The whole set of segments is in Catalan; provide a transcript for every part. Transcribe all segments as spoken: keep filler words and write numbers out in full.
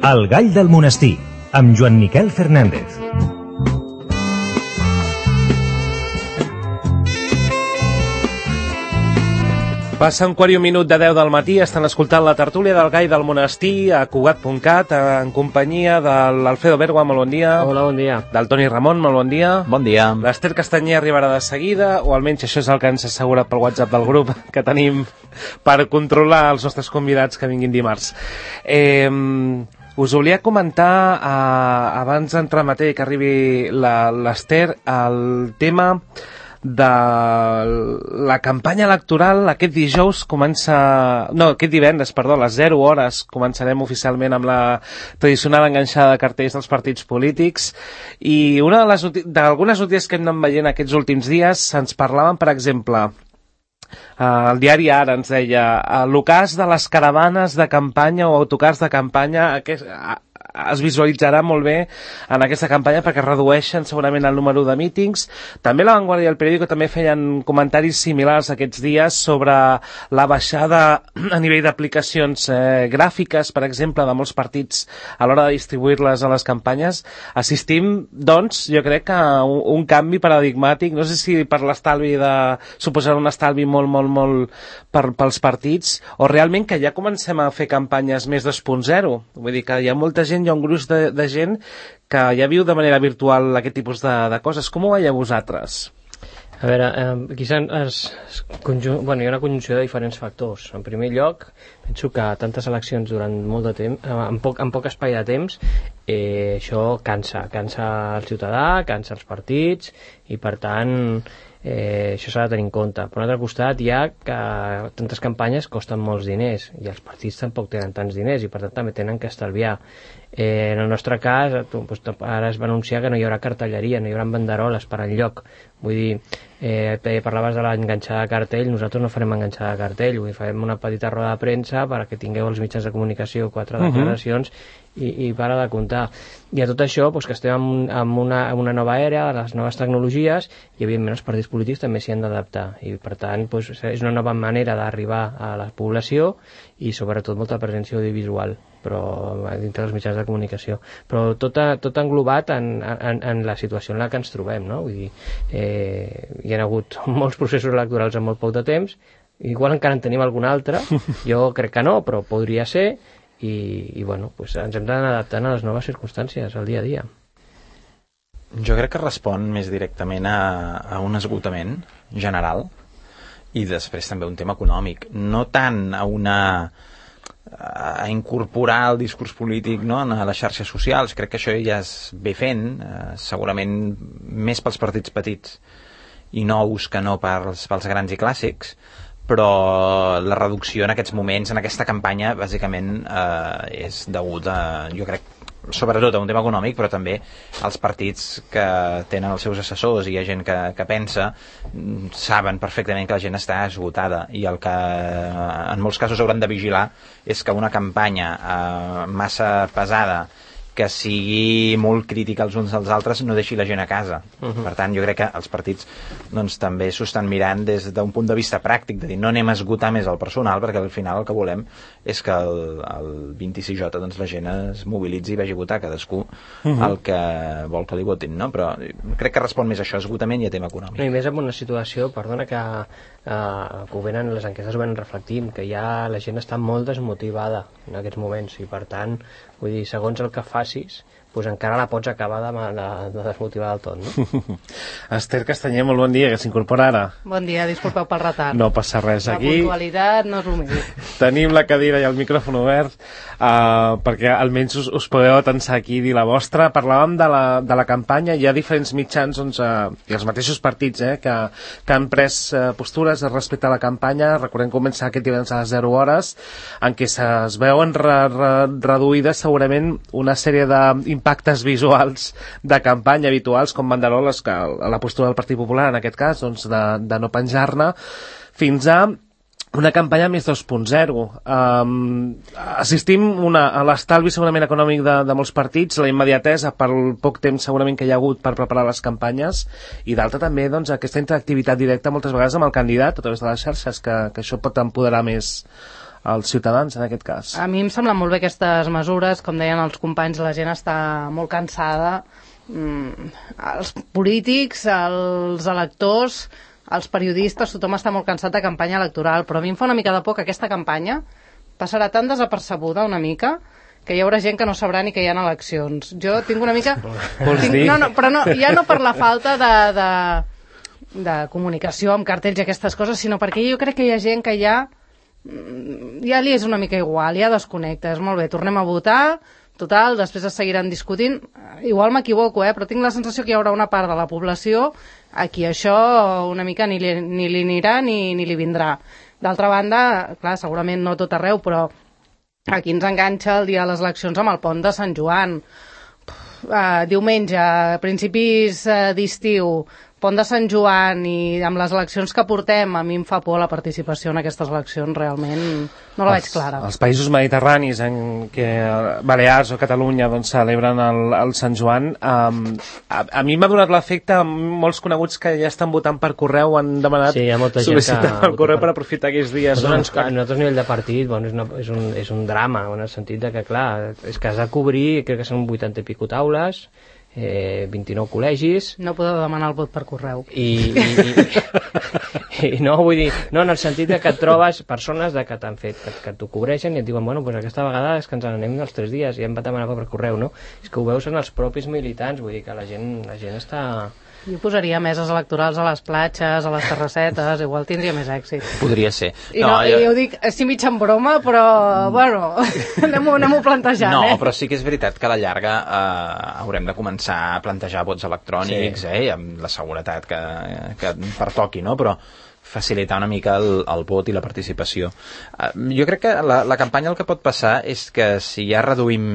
El gall del monestir, amb Joan Miquel Fernández. Passa un quart i un minut de deu del matí, estan escoltant la tertúlia del gall del monestir a Cugat punt cat, en companyia de l'Alfredo Bergua, molt bon dia. Hola, bon dia. Del Toni Ramon, molt bon dia. Bon dia. L'Ester Castanyer arribarà de seguida, o almenys això és el que ens assegura pel WhatsApp del grup que tenim per controlar els nostres convidats que vinguin dimarts. Eh, us volia comentar, eh, abans d'entrar mateix que arribi l'Ester, el tema de la campanya electoral. Aquest dijous comença... No, aquest divendres, perdó, a les zero hores començarem oficialment amb la tradicional enganxada de cartells dels partits polítics, i una de les d'algunes notícies que hem anat veient aquests últims dies ens parlaven, per exemple, el diari Ara ens deia l'ocàs de les caravanes de campanya o autocars de campanya aquest, es visualitzarà molt bé en aquesta campanya perquè redueixen segurament el número de mítings. També La Vanguardia i El Periódico també feien comentaris similars aquests dies sobre la baixada a nivell d'aplicacions eh, gràfiques, per exemple, de molts partits a l'hora de distribuir-les a les campanyes. Assistim, doncs, jo crec que a un, un canvi paradigmàtic, no sé si per l'estalvi de... suposar un estalvi molt, molt, molt per, pels partits, o realment que ja comencem a fer campanyes més dos punt zero. Vull dir que hi ha molta gent, hi ha un gruix de, de gent que ja viu de manera virtual aquest tipus de, de coses. Com ho veieu vosaltres? A veure, eh, aquí es, es conjun... bueno, hi ha una conjunció de diferents factors. En primer lloc, penso que tantes eleccions durant molt de temps, en poc, en poc espai de temps, eh, això cansa, cansa el ciutadà, cansa els partits, i per tant eh, això s'ha de tenir en compte. Per un altre costat, hi ha que tantes campanyes costen molts diners, i els partits tampoc tenen tants diners, i per tant també tenen que estalviar. Eh, en el nostre cas, doncs, ara es va anunciar que no hi haurà cartelleria, no hi haurà banderoles per enlloc. Vull dir, eh, parlaves de l'enganxada de cartell, nosaltres no farem enganxada de cartell, vull dir, farem una petita roda de premsa perquè tingueu els mitjans de comunicació quatre declaracions, uh-huh. i, i para de comptar. I a tot això, doncs, que estem en, en, una, en una nova era, les noves tecnologies, i evidentment els partits polítics també s'hi han d'adaptar, i per tant doncs, és una nova manera d'arribar a la població, i sobretot molta presència audiovisual, però dintre dels mitjans de comunicació, però tot, a, tot englobat en, en, en la situació en la que ens trobem, no? Vull dir, eh, hi ha hagut molts processos electorals en molt poc de temps, igual encara en tenim algun altre, jo crec que no, però podria ser, i, i bueno, pues ens hem d'anar adaptant a les noves circumstàncies, al dia a dia. Jo crec que respon més directament a, a un esgotament general, i després també un tema econòmic, no tant a una... a incorporar el discurs polític, no, a les xarxes socials. Crec que això ja es ve fent, eh, segurament més pels partits petits i nous que no pels, pels grans i clàssics, però la reducció en aquests moments, en aquesta campanya, bàsicament eh, és degut a, jo crec, sobretot a un tema econòmic, però també els partits que tenen els seus assessors i hi ha gent que, que pensa, saben perfectament que la gent està esgotada, i el que en molts casos hauran de vigilar és que una campanya eh, massa pesada, que sigui molt crítica els uns als altres, no deixi la gent a casa. Uh-huh. Per tant, jo crec que els partits doncs, també s'ho estan mirant des d'un punt de vista pràctic, de dir, no anem a esgotar més el personal, perquè al final el que volem és que el, el vint-i-sis jota doncs, la gent es mobilitzi i vagi a votar, cadascú uh-huh. el que vol que li votin, no? Però crec que respon més a això, esgotament i a tema econòmic. No, i més en una situació, perdona, que, eh, que ho venen, les enquestes ho venen reflectint, que ja la gent està molt desmotivada en aquests moments, i per tant, vull dir, segons el que facis, doncs encara la pots acabar de, de, de desmotivar del tot, no? Esther Castanyer, molt bon dia, que s'incorpora ara. Bon dia, disculpeu pel retard. No passa res, la aquí. La puntualitat no és el millor. Tenim la cadira i el micròfon obert, uh, perquè almenys us, us podeu atensar aquí i dir la vostra. Parlàvem de la, de la campanya, hi ha diferents mitjans, doncs, uh, i els mateixos partits, eh, que, que han pres uh, postures respecte a la campanya. Recordem començar aquest divendres a les zero hores, en què es veuen re, re, reduïdes segurament una sèrie d'impactes visuals de campanya habituals, com banderoles, que la postura del Partit Popular, en aquest cas, doncs, de, de no penjar-ne, fins a una campanya més dos punt zero. Um, assistim una, a l'estalvi segurament econòmic de, de molts partits, la immediatesa pel poc temps segurament que hi ha hagut per preparar les campanyes, i d'altra també doncs, aquesta interactivitat directa moltes vegades amb el candidat a través de les xarxes, que, que això pot empoderar més als ciutadans, en aquest cas? A mi em semblen molt bé aquestes mesures, com deien els companys, la gent està molt cansada, mm, els polítics, els electors, els periodistes, tothom està molt cansat de campanya electoral, però a mi em fa una mica de por que aquesta campanya passarà tan desapercebuda una mica que hi haurà gent que no sabrà ni que hi ha eleccions. Jo tinc una mica... Vols tinc... dir? No, no, però no, ja no per la falta de, de, de comunicació amb cartells i aquestes coses, sinó perquè jo crec que hi ha gent que ja ja li és una mica igual, ja desconnecta. És molt bé, tornem a votar, total, després es seguiran discutint. Igual m'equivoco, eh, però tinc la sensació que hi haurà una part de la població a qui això una mica ni li, ni li anirà ni, ni li vindrà. D'altra banda, clar, segurament no tot arreu, però aquí ens enganxa el dia de les eleccions amb el pont de Sant Joan. Uh, diumenge, principis uh, d'estiu, pont de Sant Joan, i amb les eleccions que portem, a mi em fa por la participació en aquestes eleccions, realment no la veig clara. Els països mediterranis en què Balears o Catalunya doncs, celebren el, el Sant Joan, um, a, a mi m'ha donat l'efecte, molts coneguts que ja estan votant per correu han demanat sí, sol·licitar el correu per aprofitar aquests dies. Nosaltres, no? nosaltres a nivell de partit, bueno, és, una, és, un, és un drama, en el sentit de que, clar, és que has de cobrir, crec que són vuitanta i pico taules, eh, vint-i-nou col·legis... No podeu demanar el vot per correu. I, i, i, i no, vull dir, no, en el sentit de que et trobes persones de que t'han fet, que, que t'ho cobreixen i et diuen, bueno, doncs aquesta vegada és que ens n'anem els tres dies i hem de demanar per correu, no? És que ho veus en els propis militants, vull dir que la gent, la gent està... Jo posaria meses electorals a les platges, a les terrassetes, igual tindria més èxit. Podria ser. I no, no jo... jo ho dic així mig en broma, però, mm. bueno, anem-ho anem plantejant, no, eh? No, però sí que és veritat que a la llarga eh, haurem de començar a plantejar vots electrònics, sí. eh, amb la seguretat que, que pertoqui, no? Però facilitar una mica el, el vot i la participació. Uh, jo crec que la, la campanya el que pot passar és que si ja reduïm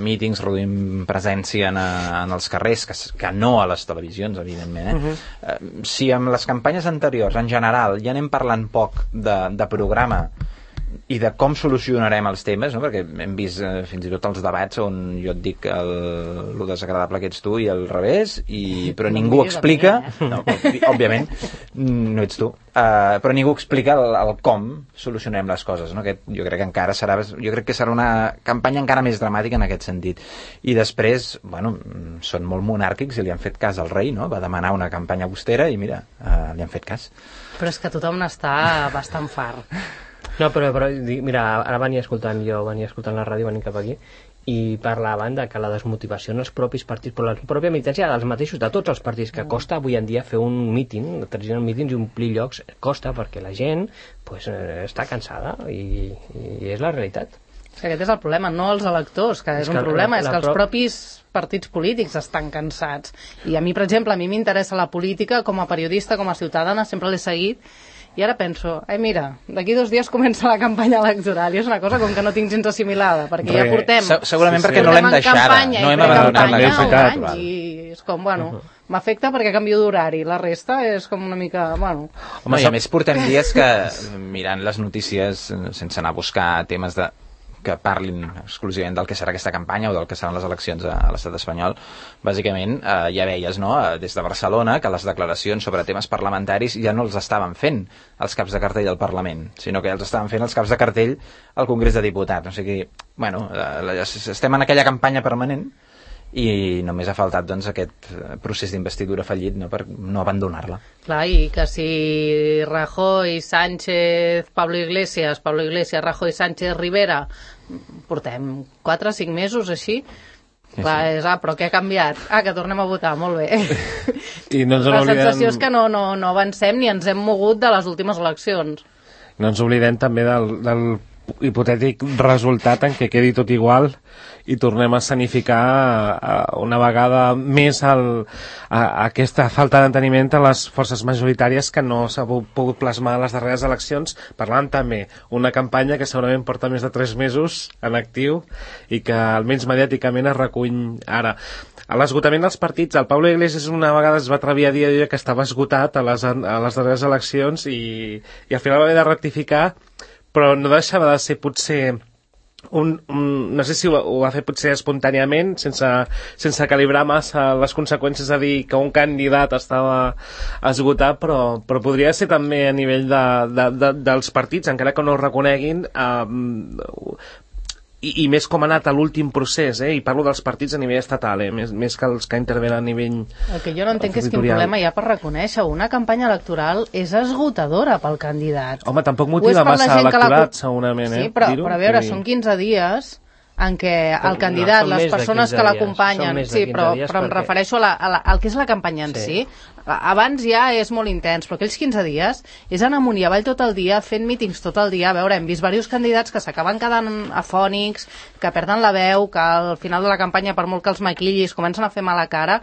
mítings, reduïm presència en, a, en els carrers, que, que no a les televisions, evidentment, eh? Uh-huh. uh, si amb les campanyes anteriors, en general, ja anem parlant poc de, de programa i de com solucionarem els temes, no? Perquè hem vist eh, fins i tot els debats on jo et dic el, el desagradable que ets tu i al revés, i, però ningú explica, no, òbviament no ets tu, uh, però ningú explica el, el com solucionarem les coses, no? Aquest, jo crec que encara serà jo crec que serà una campanya encara més dramàtica en aquest sentit. I després, bueno, són molt monàrquics i li han fet cas al rei, no? Va demanar una campanya austera i mira, uh, li han fet cas. Però és que tothom n'està bastant fart. No, però, però mira, ara venia escoltant jo, venia escoltant la ràdio, venint cap aquí, i parlaven de que la desmotivació en els propis partits, però la pròpia militància dels mateixos, de tots els partits, que costa avui en dia fer un míting, tradicional mítings i omplir llocs, costa perquè la gent pues, està cansada i, i és la realitat. És que aquest és el problema, no els electors, que és, és que un problema, la, la és que els prop... propis partits polítics estan cansats. I a mi, per exemple, a mi m'interessa la política com a periodista, com a ciutadana, sempre l'he seguit. I ara penso, ai mira, d'aquí dos dies comença la campanya electoral i és una cosa com que no tinc gens assimilada, perquè Re, ja portem... Se, segurament sí, perquè sí. no l'hem deixada, no hem abandonat la campanya. I és com, bueno, uh -huh. m'afecta perquè canvio d'horari, la resta és com una mica, bueno... Home, i a més portem dies que, mirant les notícies, sense anar a buscar temes de que parlin exclusivament del que serà aquesta campanya o del que seran les eleccions a, a l'estat espanyol, bàsicament eh, ja veies, no?, des de Barcelona, que les declaracions sobre temes parlamentaris ja no els estaven fent els caps de cartell al Parlament, sinó que ja els estaven fent els caps de cartell al Congrés de Diputats. O sigui, bueno, eh, estem en aquella campanya permanent i només ha faltat doncs, aquest procés d'investidura fallit, no?, per no abandonar-la. Clar, i que si Rajoy, Sánchez, Pablo Iglesias, Pablo Iglesias, Rajoy, Sánchez, Rivera, portem quatre o cinc mesos així, sí, clar, sí. és, ah, però què ha canviat? Ah, que tornem a votar, molt bé. I no ens la oblidem... sensació és que no, no, no avancem ni ens hem mogut de les últimes eleccions. No ens oblidem també del, del hipotètic resultat en què quedi tot igual i tornem a escenificar una vegada més el, a, a aquesta falta d'enteniment a les forces majoritàries que no s'ha pogut plasmar a les darreres eleccions, parlant també una campanya que segurament porta més de tres mesos en actiu i que almenys mediàticament es recull ara. A l'esgotament dels partits, el Pablo Iglesias una vegada es va atrevir a dir que estava esgotat a les, a les darreres eleccions i, i al final va haver de rectificar, però no deixava de ser potser un, un, no sé si ho, ho va fer potser espontàniament, sense, sense calibrar massa les conseqüències de dir que un candidat estava esgotat, però, però podria ser també a nivell de, de, de, dels partits, encara que no ho reconeguin, eh, i, i més com ha anat a l'últim procés, eh? I parlo dels partits a nivell estatal, eh? més, més que els que intervenen a nivell el que jo no entenc és quin problema hi ha per reconèixer una campanya electoral és esgotadora pel candidat. Home, tampoc motiva massa l'electorat, la... segurament, eh? Sí, però, però a veure, són quinze dies en què el candidat, no, les persones que l'acompanyen, sí, però, però em perquè... refereixo a la, a la, al que és la campanya en sí. sí. Abans ja és molt intens, però aquells quinze dies és anar amunt i avall tot el dia, fent mítings tot el dia. A veure, hem vist diversos candidats que s'acaben quedant afònics, que perden la veu, que al final de la campanya, per molt que els maquillis, comencen a fer mala cara.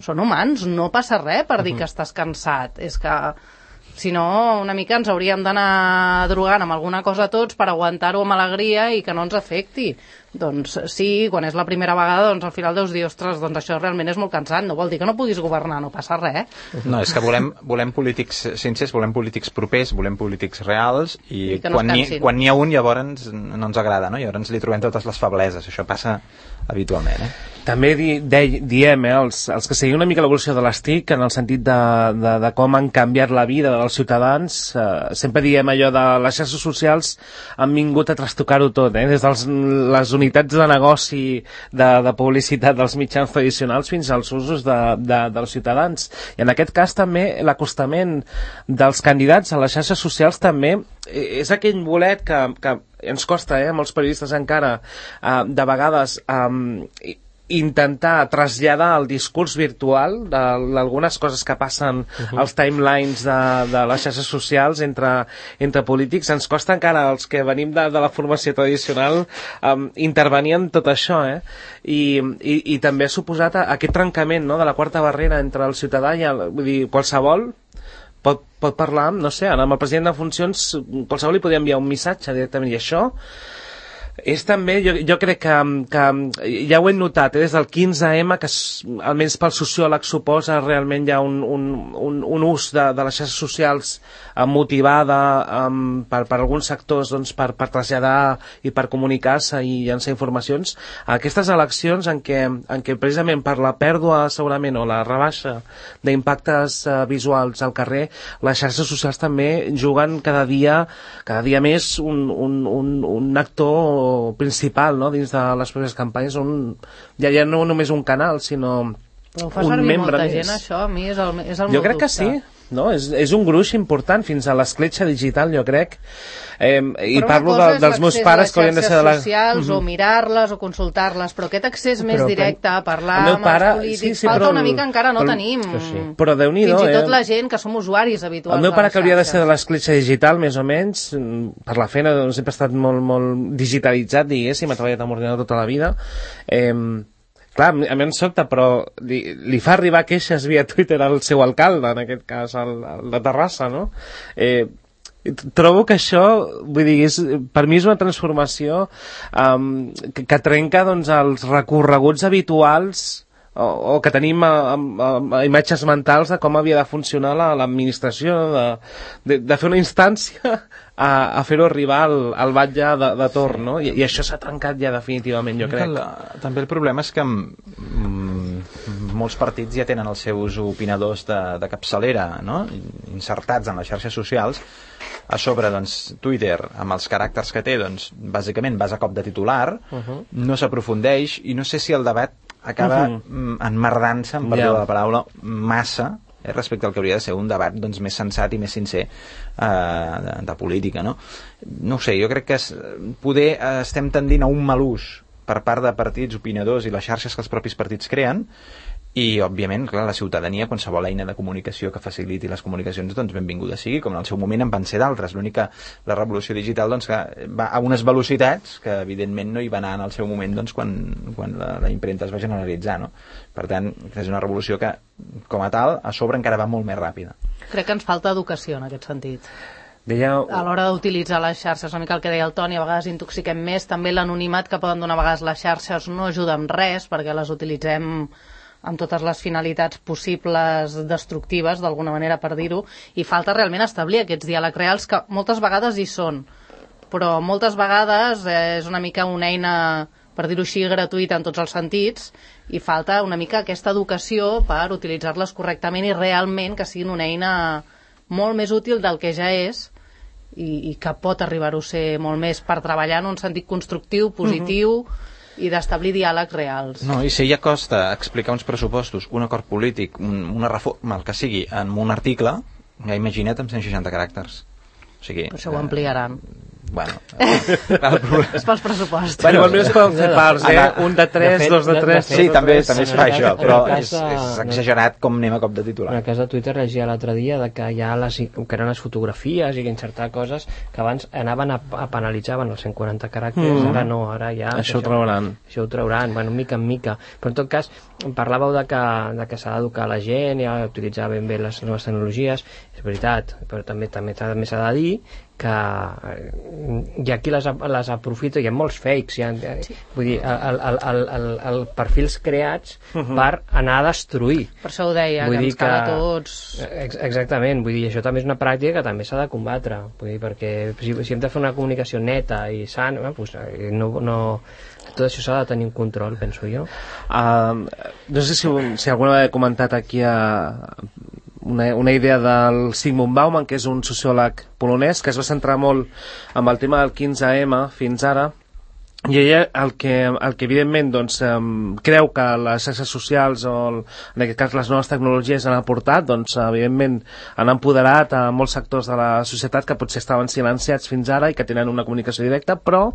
Són humans, no passa res per dir uh-huh. que estàs cansat. És que, si no, una mica ens hauríem d'anar drogant amb alguna cosa tots per aguantar-ho amb alegria i que no ens afecti. Doncs sí, quan és la primera vegada, doncs al final deus dir, ostres, doncs això realment és molt cansat, no vol dir que no puguis governar, no passa res. No, és que volem, volem polítics sincers, volem polítics propers, volem polítics reals, i, I no quan, n'hi, quan n'hi ha un llavors no ens agrada, no? Llavors li trobem totes les febleses, això passa habitualment, eh? També di, de, diem, eh, els, els que seguim una mica l'evolució de les T I C, en el sentit de, de, de com han canviat la vida dels ciutadans, eh, sempre diem allò de les xarxes socials han vingut a trastocar-ho tot, eh? Des de les unitats de negoci, de, de publicitat dels mitjans tradicionals fins als usos de, de, dels ciutadans. I en aquest cas també l'acostament dels candidats a les xarxes socials també és aquell bolet que, que ens costa, eh, molts periodistes encara, eh, de vegades eh, intentar traslladar el discurs virtual d'algunes coses que passen uh-huh. als timelines de, de les xarxes socials entre, entre polítics. Ens costa encara, els que venim de, de la formació tradicional, um, intervenir en tot això, eh? I, i, i també ha suposat aquest trencament, no?, de la quarta barrera entre el ciutadà i el, vull dir, qualsevol pot, pot parlar, no sé, ara amb el president de funcions qualsevol li podria enviar un missatge directament, i això és també, jo, jo crec que, que ja ho hem notat, eh, des del quinze eme, que almenys pel sociòleg suposa realment hi ha un, un, un, un ús de, de les xarxes socials eh, motivada eh, per, per alguns sectors, doncs, per, per traslladar i per comunicar-se i llançar informacions. Aquestes eleccions en què, en què precisament per la pèrdua segurament o la rebaixa d'impactes eh, visuals al carrer, les xarxes socials també juguen cada dia, cada dia més un, un, un, un actor principal, no?, dins de les properes campanyes, un, ja, ja no només un canal, sinó però ho fa un servir membre molta més. Gent, això, a mi és el, és el jo meu crec dubte. que sí, no? És, és un gruix important fins a l'escletxa digital, jo crec, eh, i però parlo de, dels meus pares que haurien de ser de les socials, uh-huh. o mirar-les o consultar-les, però aquest accés més però directe a parlar amb pare, els polítics, sí, sí, falta però, una mica, encara no però, tenim. Sí. Però Déu-n'hi-do, fins i tot eh? la gent que som usuaris habituals. El meu pare, que hauria de ser de l'escletxa digital, més o menys, per la feina, doncs, sempre ha estat molt, molt digitalitzat, diguéssim, ha treballat amb ordinador tota la vida. Eh, clar, a mi em sobta, però li, li fa arribar queixes via Twitter al seu alcalde, en aquest cas, al, al de Terrassa, no? Eh, trobo que això, vull dir, és, per mi és una transformació um, que, que trenca, doncs, els recorreguts habituals o, o que tenim a, a, a imatges mentals de com havia de funcionar l'administració, la, de, de, de fer una instància a, a fer-ho arribar al, al batlle de, de torn, no? I, i això s'ha trencat ja definitivament, jo crec. La, també el problema és que mm, molts partits ja tenen els seus opinadors de, de capçalera, no?, insertats en les xarxes socials. A sobre, doncs, Twitter, amb els caràcters que té, doncs, bàsicament vas a cop de titular, uh-huh. no s'aprofundeix, i no sé si el debat acaba uh-huh. enmerdant-se, em perdó yeah. la paraula, massa, eh, respecte al que hauria de ser un debat, doncs, més sensat i més sincer eh, de, de política, no? No ho sé, jo crec que es, poder eh, estem tendint a un mal ús per part de partits, opinadors i les xarxes que els propis partits creen, i, òbviament, clar, la ciutadania, qualsevol eina de comunicació que faciliti les comunicacions, doncs benvinguda sigui, com en el seu moment en van ser d'altres. L'única, la revolució digital, doncs, que va a unes velocitats que, evidentment, no hi va anar en el seu moment, doncs, quan, quan la, la impremta es va generalitzar, no? Per tant, és una revolució que, com a tal, a sobre encara va molt més ràpida. Crec que ens falta educació en aquest sentit. Deia... A l'hora d'utilitzar les xarxes, una mica el que deia el Toni, a vegades intoxiquem més, també l'anonimat que poden donar a vegades les xarxes no ajuda en res, perquè les utilitzem amb totes les finalitats possibles destructives, d'alguna manera, per dir-ho, i falta realment establir aquests diàlegs reals que moltes vegades hi són, però moltes vegades és una mica una eina, per dir-ho així, gratuïta en tots els sentits, i falta una mica aquesta educació per utilitzar-les correctament i realment que siguin una eina molt més útil del que ja és i, i que pot arribar-ho a ser molt més per treballar en un sentit constructiu, positiu, uh-huh. i d'establir diàlegs reals. No, i si ja costa explicar uns pressupostos, un acord polític, un, una reforma, el que sigui, en un article, ja imagina't amb cent seixanta caràcters. O sigui, però això ho ampliaran. Eh, bueno, el problema... és pels pressupostos. Bueno, potser es poden fer parts, eh? Un de tres, dos de tres... Sí, també també es fa això, però és, és exagerat com anem a cop de titular. En el cas de Twitter llegia l'altre dia de que ja les, que eren les fotografies i que insertar coses que abans anaven a, a penalitzaven els cent quaranta caràcters, mm. ara no, ara ja... Això ho trauran. Això ho trauran, bueno, mica en mica. Però en tot cas, parlàveu de que, de que s'ha d'educar la gent i a utilitzar ben bé les noves tecnologies, és veritat, però també també s'ha de dir que hi ha qui les, les aprofita, hi ha molts fakes, hi ha, sí. vull dir, el, el, el, el, el perfils creats uh-huh. per anar a destruir. Per això ho deia, vull que ens cal a tots... Ex exactament, vull dir, això també és una pràctica que també s'ha de combatre, vull dir, perquè si, si hem de fer una comunicació neta i sana, doncs, no, no, tot això s'ha de tenir en control, penso jo. Uh, no sé si, si alguna vegada he comentat aquí a... Una, una idea del Zygmunt Bauman, que és un sociòleg polonès que es va centrar molt amb el tema del quinze eme fins ara, i ella el que, el que evidentment doncs, um, creu que les xarxes socials o el, en aquest cas les noves tecnologies han aportat, doncs evidentment han empoderat a molts sectors de la societat que potser estaven silenciats fins ara i que tenen una comunicació directa, però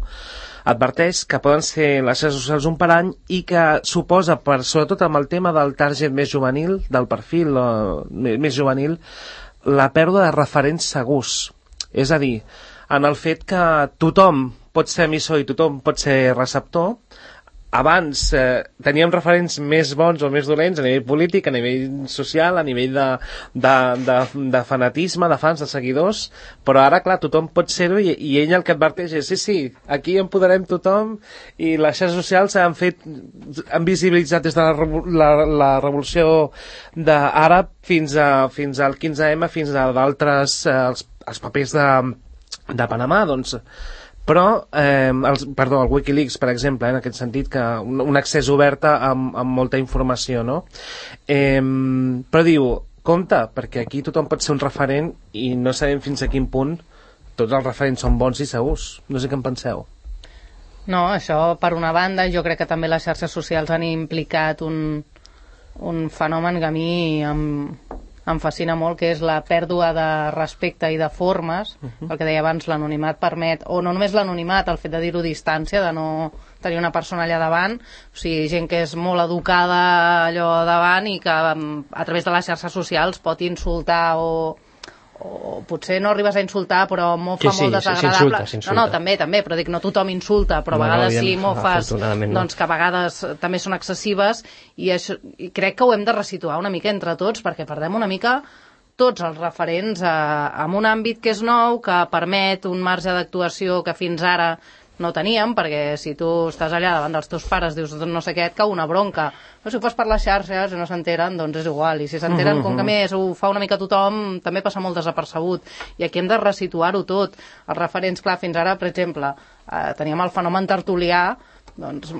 adverteix que poden ser les xarxes socials un parany i que suposa, per, sobretot amb el tema del target més juvenil, del perfil uh, més juvenil, la pèrdua de referents segurs. És a dir, en el fet que tothom pot ser emissor i tothom pot ser receptor. Abans eh, teníem referents més bons o més dolents a nivell polític, a nivell social, a nivell de, de, de, de fanatisme, de fans, de seguidors, però ara, clar, tothom pot ser-ho i, i ell el que adverteix és sí, sí, aquí empoderem tothom i les xarxes socials han fet, han visibilitzat des de la, la, la revolució àrab fins, a, fins al quinze eme, fins a d'altres, eh, els, els papers de, de Panamà, doncs... Però, eh, els, perdó, el Wikileaks, per exemple, eh, en aquest sentit, que un, un accés obert amb, amb molta informació, no? Eh, però diu, compte, perquè aquí tothom pot ser un referent i no sabem fins a quin punt tots els referents són bons i segurs. No sé què en penseu. No, això, per una banda, jo crec que també les xarxes socials han implicat un, un fenomen que a mi em, em fascina molt, que és la pèrdua de respecte i de formes. Uh-huh. El que deia abans, l'anonimat permet, o no només l'anonimat, el fet de dir-ho distància, de no tenir una persona allà davant, o sigui, gent que és molt educada allò davant i que a través de les xarxes socials pot insultar o, o potser no arribes a insultar, però mofa sí, sí, molt desagradable. Sí, s'insulta. No, no, també, també, però dic, no tothom insulta, però a vegades sí mofes, no. doncs que a vegades també són excessives, i, això, i crec que ho hem de resituar una mica entre tots, perquè perdem una mica tots els referents a, a un àmbit que és nou, que permet un marge d'actuació que fins ara no teníem, perquè si tu estàs allà davant dels teus pares, dius no sé què, et cau una bronca. Però si ho fas per les xarxes i no s'enteren, doncs és igual. I si s'enteren, uh-huh. com que més ho fa una mica tothom, també passa molt desapercebut. I aquí hem de resituar-ho tot. Els referents, clar, fins ara, per exemple, eh, teníem el fenomen tertulià, doncs,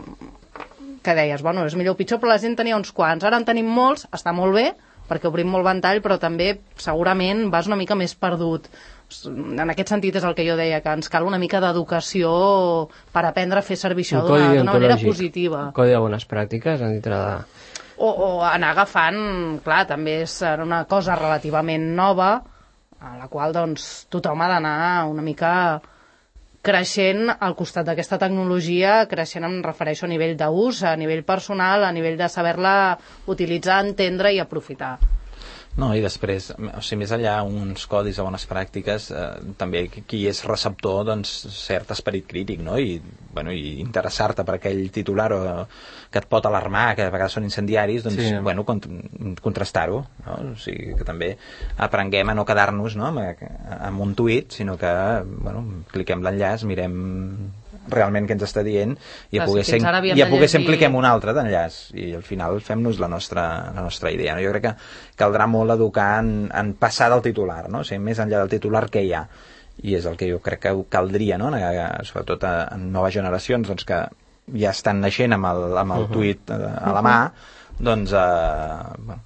que deies, bueno, és millor o pitjor, però la gent tenia uns quants. Ara en tenim molts, està molt bé, perquè obrim molt ventall, però també segurament vas una mica més perdut. En aquest sentit és el que jo deia, que ens cal una mica d'educació per aprendre a fer servir això d'una manera positiva. Un codi de bones pràctiques en dintre de... O, o anar agafant, clar, també és una cosa relativament nova, a la qual doncs tothom ha d'anar una mica creixent al costat d'aquesta tecnologia, creixent em refereixo a nivell d'ús, a nivell personal, a nivell de saber-la utilitzar, entendre i aprofitar. No, i després, o sigui, més enllà uns codis de bones pràctiques, eh, també qui és receptor, doncs, cert esperit crític, no? I, bueno, i interessar-te per aquell titular o, que et pot alarmar, que a vegades són incendiaris, doncs, sí. bueno, cont contrastar-ho, no? O sigui, que també aprenguem a no quedar-nos, no?, amb, amb un tuit, sinó que, bueno, cliquem l'enllaç, mirem realment què ens està dient i a poder ser, i a poder ser impliquem un altre d'enllaç i al final fem-nos la nostra, la nostra idea, no? Jo crec que caldrà molt educar en, en passar del titular, no? O sigui, més enllà del titular que hi ha i és el que jo crec que caldria, no? Sobretot en noves generacions, doncs, que ja estan naixent amb el, amb el tuit a la mà, doncs eh,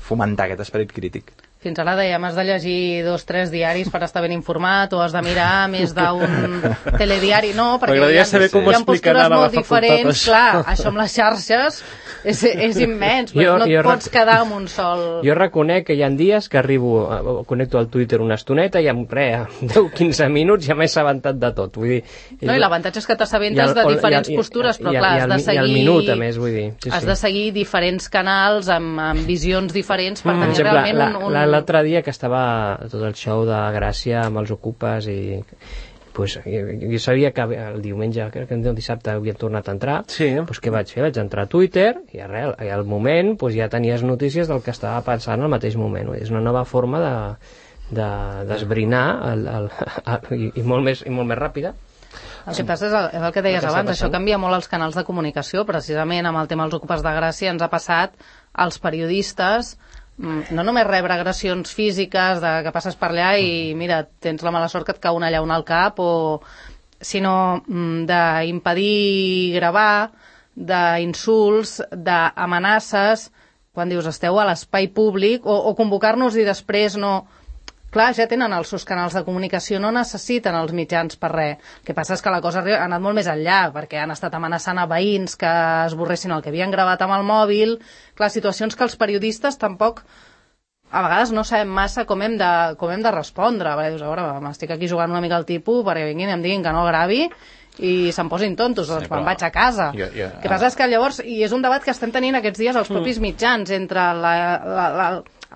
fomentar aquest esperit crític. Fins ara dèiem, has de llegir dos, tres diaris per estar ben informat, o has de mirar més d'un telediari, no, perquè hi ha, saber com hi ha postures molt diferents, això. clar, això amb les xarxes és, és immens, jo, no et jo pots quedar amb un sol... Jo reconec que hi ha dies que arribo, connecto al Twitter una estoneta i en res, deu quinze minuts ja m'he assabentat de tot, vull dir... No, i l'avantatge és que t'assabentes de diferents i, postures, però i, clar, i, has de seguir... I al minut, a més, vull dir. Sí, has sí. de seguir diferents canals amb, amb visions diferents per Per tenir exemple, realment la, un... un... l'altre dia que estava tot el show de Gràcia amb els Ocupes i pues, jo, jo sabia que el diumenge, crec que el dissabte havia tornat a entrar, sí. Pues, què vaig fer? Vaig entrar a Twitter i arrel, i al moment pues, ja tenies notícies del que estava pensant al mateix moment. És una nova forma de, de, d'esbrinar el, el, el, i, i, molt més, i molt més ràpida. El que passa és el, és el que deies que abans, això canvia molt els canals de comunicació, precisament amb el tema dels Ocupes de Gràcia ens ha passat als periodistes no només rebre agressions físiques de que passes per allà i mira, tens la mala sort que et cau una llauna al cap, o sinó d'impedir gravar, d'insults, d'amenaces, quan dius esteu a l'espai públic, o, o convocar-nos i després no... Clar, ja tenen els seus canals de comunicació, no necessiten els mitjans per res. El que passa és que la cosa ha anat molt més enllà, perquè han estat amenaçant a veïns que esborressin el que havien gravat amb el mòbil. Clar, situacions que els periodistes tampoc a vegades no sabem massa com hem de, com hem de respondre. Perquè dius, a veure, m'estic aquí jugant una mica al tipus perquè vinguin i em diguin que no gravi i se'm posin tontos, doncs sí, me'n vaig a casa. Jo, jo, el que passa és que llavors, i és un debat que estem tenint aquests dies els propis mitjans, entre la, la, la,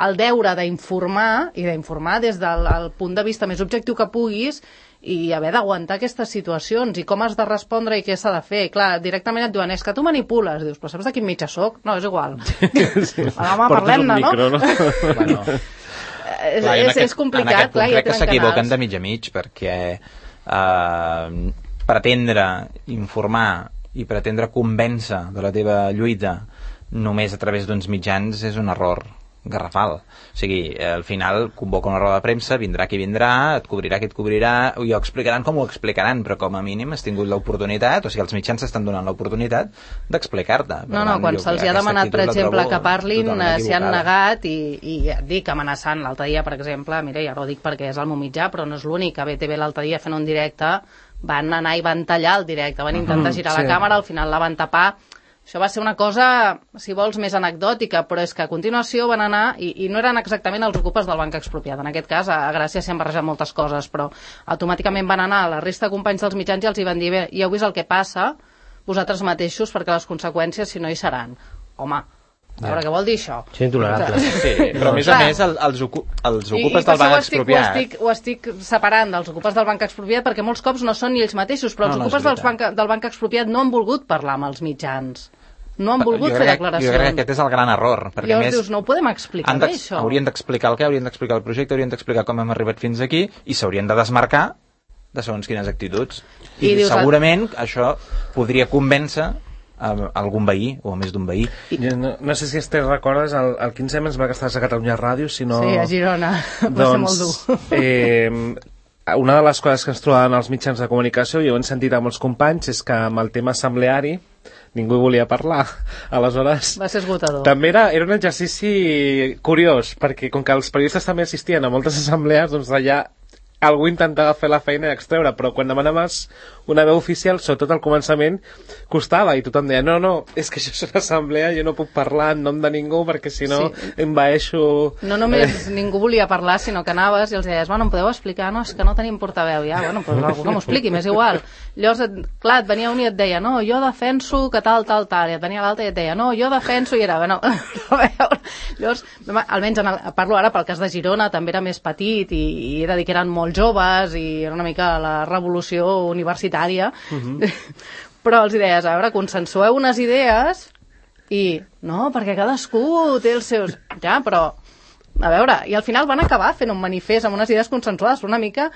el deure d'informar, i d'informar des del el punt de vista més objectiu que puguis, i haver d'aguantar aquestes situacions, i com has de respondre i què s'ha de fer. Clar, directament et diuen, és que tu manipules. Dius, però saps de quin mitjà soc? No, és igual. Sí. Home, parlem-ne, no? no? Bueno, és, clar, és, és complicat. En aquest punt clar, crec ja que s'equivoquen de mig a mig, perquè eh, pretendre informar i pretendre convèncer de la teva lluita només a través d'uns mitjans és un error garrafal. O sigui, al final convoca una roda de premsa, vindrà qui vindrà, et cobrirà qui et cobrirà, i ho explicaran com ho explicaran, però com a mínim has tingut l'oportunitat, o sigui, els mitjans s'estan donant l'oportunitat d'explicar-te. No, no, quan se'ls ha demanat, per exemple, que parlin, s'hi han negat, i, i ja et dic, amenaçant l'altre dia, per exemple, mira, ja ho dic perquè és el meu mitjà, però no és l'únic, a B T V l'altre dia fent un directe, van anar i van tallar el directe, van intentar girar sí. la càmera, al final la van tapar. Això va ser una cosa, si vols, més anecdòtica, però és que a continuació van anar, i, i no eren exactament els ocupes del banc expropiat, en aquest cas, a Gràcia s'hi han barrejat moltes coses, però automàticament van anar a la resta de companys dels mitjans i els hi van dir, bé, ja heu vist el que passa, vosaltres mateixos, perquè les conseqüències, si no, hi seran. Home, a veure, què vol dir això? Sí, intolerable. Sí, però a més a més el, els, ocu els ocupes I, del banc expropiat... Ho estic, ho estic separant dels ocupes del banc expropiat perquè molts cops no són ni ells mateixos, però els no, ocupes no dels banc, del banc expropiat no han volgut parlar amb els mitjans. No han volgut crec, fer declaracions. Jo crec que aquest és el gran error. Perquè llavors més dius, no ho podem explicar bé, això. Haurien d'explicar el què, haurien d'explicar el projecte, haurien d'explicar com hem arribat fins aquí, i s'haurien de desmarcar de segons quines actituds. I, I dius, segurament el... això podria convèncer a algun veí, o a més d'un veí. No, no sé si te recordes, el, el quinze M ens va gastar a Catalunya Ràdio, si no... Sí, a Girona. Doncs, va ser molt dur. Eh, una de les coses que ens trobaven als mitjans de comunicació, i ho hem sentit a molts companys, és que amb el tema assembleari ningú volia parlar. Aleshores... Va ser esgotador. També era, era un exercici curiós, perquè com que els periodistes també assistien a moltes assemblees, doncs allà algú intentava fer la feina i extreure, però quan demanaves una veu oficial, sobretot al començament, costava, i tothom deia, no, no, és que això és una assemblea, jo no puc parlar en nom de ningú, perquè si no sí. envaeixo... No només eh... ningú volia parlar, sinó que anaves i els deies, bueno, em podeu explicar? No, és que no tenim portaveu, ja, bueno, però algú que m'ho expliqui, m'és igual. Llavors, clar, et venia un i et deia, no, jo defenso que tal, tal, tal, i et venia l'altre i et deia, no, jo defenso, i era, bueno, a veure... Llavors, almenys en el, parlo ara pel cas de Girona, també era més petit, i, i he de dir que eren molt joves, i era una mica la revolució universitària, uh-huh. però els deies, a veure, consensueu unes idees i, no, perquè cadascú té els seus... Ja, però, a veure, i al final van acabar fent un manifest amb unes idees consensuades, però una mica...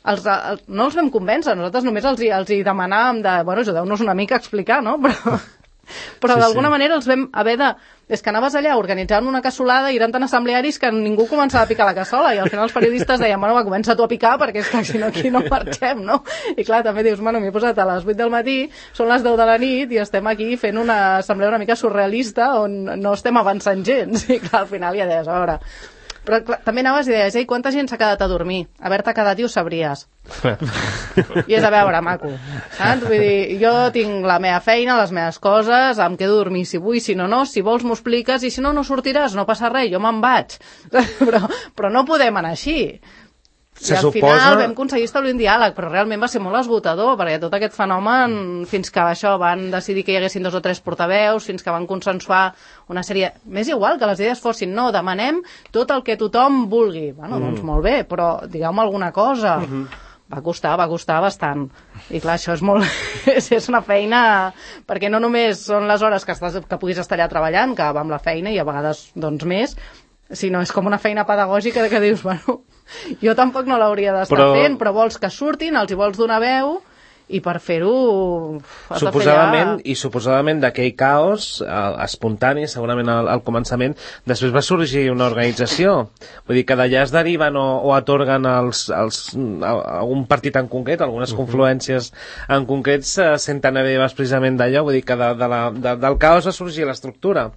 Els, els, no els vam convèncer, nosaltres només els, els hi demanàvem de, bueno, ajudeu-nos una mica a explicar, no? Però, però sí, d'alguna sí. manera els vam haver de, és que anaves allà organitzant una cassolada i eren tan assemblearis que ningú començava a picar la cassola i al final els periodistes deien, bueno, va, comença tu a picar perquè és que si no aquí no marxem, no? I clar, també dius, bueno, m'he posat a les vuit del matí, són les deu de la nit i estem aquí fent una assemblea una mica surrealista on no estem avançant gens i clar, al final ja deies, a veure... Però clar, també anaves i deies, ei, quanta gent s'ha quedat a dormir? Haver-te quedat i ho sabries. I és a veure, maco. Saps? Vull dir, jo tinc la meva feina, les meves coses, em quedo a dormir si vull, si no, no, si vols m'ho expliques i si no, no sortiràs, no passa res, jo me'n vaig. però, però no podem anar així. I al suposa... final vam aconseguir establir un diàleg, però realment va ser molt esgotador, perquè tot aquest fenomen, fins que això van decidir que hi haguessin dos o tres portaveus, fins que van consensuar una sèrie... M'és igual que les idees fossin, no, demanem tot el que tothom vulgui. Bueno, doncs molt bé, però digueu-me alguna cosa. Uh -huh. Va costar, va costar bastant. I clar, això és molt... és una feina... Perquè no només són les hores que, estàs, que puguis estar allà treballant, que va amb la feina i a vegades doncs més, sinó és com una feina pedagògica que dius, bueno... Jo tampoc no l'hauria d'estar però... fent, però vols que surtin, els hi vols donar veu i per fer-ho has suposadament, de fer ja... i suposadament d'aquell caos eh, espontani, segurament al, al començament, després va sorgir una organització, vull dir que d'allà es deriven o, o atorguen els, els, a, a un partit en concret, algunes uh-huh. confluències en concret se senten hereves precisament d'allò, vull dir que de, de la, de, del caos va sorgir l'estructura,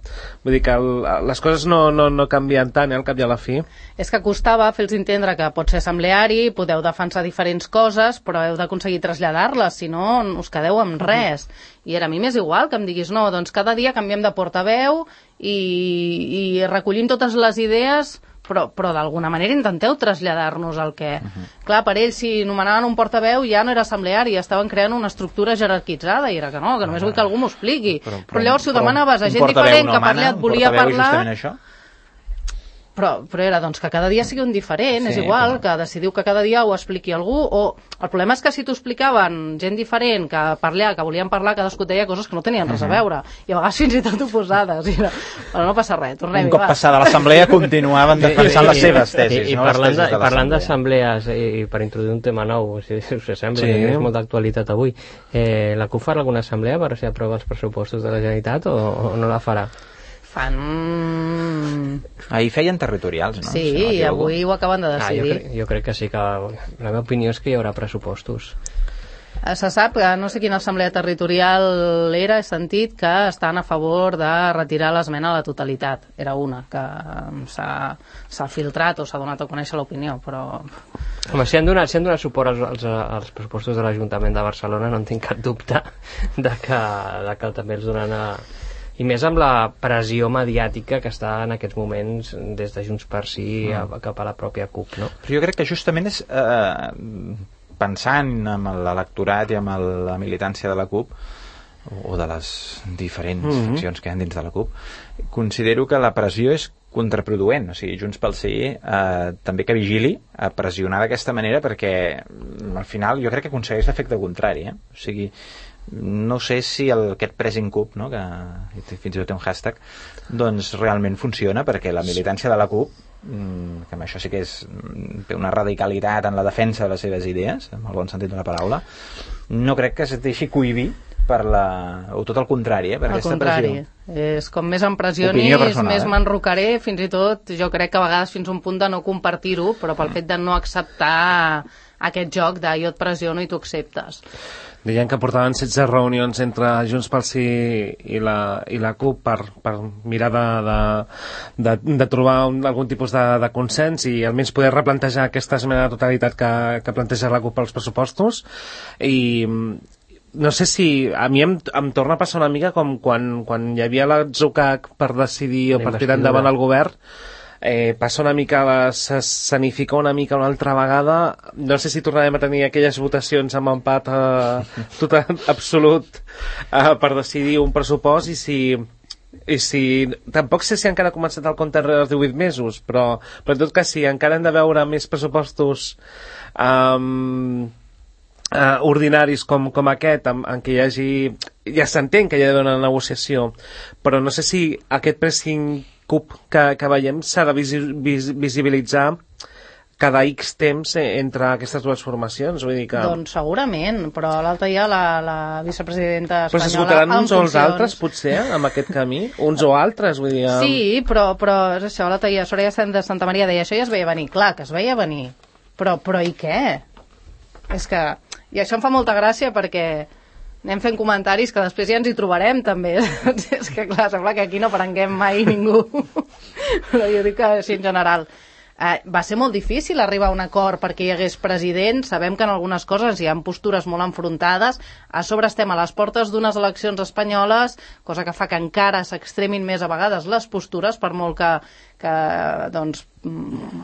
vull dir que el, les coses no, no, no canvien tant, eh, al cap i a la fi. És que costava fer-los entendre que pots ser assembleari, podeu defensar diferents coses, però heu d'aconseguir traslladar-les, si no us quedeu amb res. I era a mi m'és igual que em diguis, no, doncs cada dia canviem de portaveu i, i recollim totes les idees, però, però d'alguna manera intenteu traslladar-nos el que... Uh-huh. Clar, per ells, si nomenaven un portaveu ja no era assembleari, estaven creant una estructura jerarquitzada, i era que no, que només vull que algú m'ho expliqui. Però, però, però llavors si ho demanaves a gent diferent no que parla, et volia parlar... Però, però era doncs que cada dia sigui un diferent, sí, és igual, però... que decidiu que cada dia ho expliqui algú, o el problema és que si t'ho explicaven gent diferent, que parlar, que volien parlar, cadascú deia coses que no tenien res a veure, i a vegades fins i tot oposades, i era... però no passa res, tornem-hi. Un cop passada l'assemblea continuaven defensant les seves tesis. I, i, no? parlant, de, de parlant d'assemblees, i per introduir un tema nou, si us sembla, sí. que és molt d'actualitat avui, eh, la CUP farà alguna assemblea per si aprova els pressupostos de la Generalitat o, o no la farà? Fan... Ahir feien territorials, no? Sí, si no i avui ho acaben de decidir. Ah, jo, crec, jo crec que sí que... La meva opinió és que hi haurà pressupostos. Se sap que no sé quina assemblea territorial era, he sentit que estan a favor de retirar l'esmena a la totalitat. Era una, que s'ha filtrat o s'ha donat a conèixer l'opinió, però... Home, si han donat, si han donat suport als, als, als pressupostos de l'Ajuntament de Barcelona, no en tinc cap dubte de que, de que també els donen a... I més amb la pressió mediàtica que està en aquests moments des de Junts per Sí a, cap a la pròpia CUP, no? Però jo crec que justament és eh, pensant en l'electorat i en la militància de la CUP o de les diferents mm-hmm. faccions que hi ha dins de la CUP, considero que la pressió és contraproduent, o sigui, Junts pel Sí eh, també que vigili a pressionar d'aquesta manera perquè al final jo crec que aconsegueix l'efecte contrari, eh? O sigui, no sé si el, aquest pressing CUP, no? Que fins i tot té un hashtag, doncs realment funciona, perquè la militància de la CUP, que amb això sí que és, té una radicalitat en la defensa de les seves idees, en el bon sentit de la paraula, no crec que es deixi cohibir per la... o tot el contrari, eh? Per al aquesta contrari. pressió. És com més em pressionis, personal, més eh? m'enrocaré, fins i tot jo crec que a vegades fins a un punt de no compartir-ho, però pel fet de no acceptar aquest joc de jo et pressiono i tu acceptes. Deien que portaven setze reunions entre Junts pel Sí i la, i la CUP per, per mirar de, de, de, de trobar un, algun tipus de, de consens i almenys poder replantejar aquesta esmena de totalitat que, que planteja la CUP pels pressupostos. I no sé si a mi em, em torna a passar una mica com quan, quan hi havia l'Atzucac per decidir o per tirar endavant el govern. Eh, passa una mica, s'anifica una mica una altra vegada, no sé si tornarem a tenir aquelles votacions amb empat eh, total, absolut eh, per decidir un pressupost i si, i si tampoc sé si encara ha començat el compte enrere dels divuit mesos, però, però en tot cas sí, encara hem de veure més pressupostos um, uh, ordinaris com, com aquest en, en què hi hagi, ja s'entén que hi ha d'haver una negociació, però no sé si aquest pressing CUP que, que veiem s'ha de visi, vis, visibilitzar cada X temps entre aquestes dues formacions, vull dir que... Doncs segurament, però l'altre dia la, la vicepresidenta espanyola... Però s'esgotaran uns o els funcions... altres, potser, amb aquest camí? Uns o altres, vull dir... Amb... Sí, però, però és això, l'altre dia Soraya Sáenz de Santa Maria deia, això ja es veia venir, clar, que es veia venir, però, però i què? És que... I això em fa molta gràcia perquè anem fent comentaris que després ja ens hi trobarem, també. És que, clar, sembla que aquí no prenguem mai ningú. Però jo dic que així en general... Eh, va ser molt difícil arribar a un acord perquè hi hagués president. Sabem que en algunes coses hi ha postures molt enfrontades. A sobre estem a les portes d'unes eleccions espanyoles, cosa que fa que encara s'extremin més a vegades les postures, per molt que, que doncs,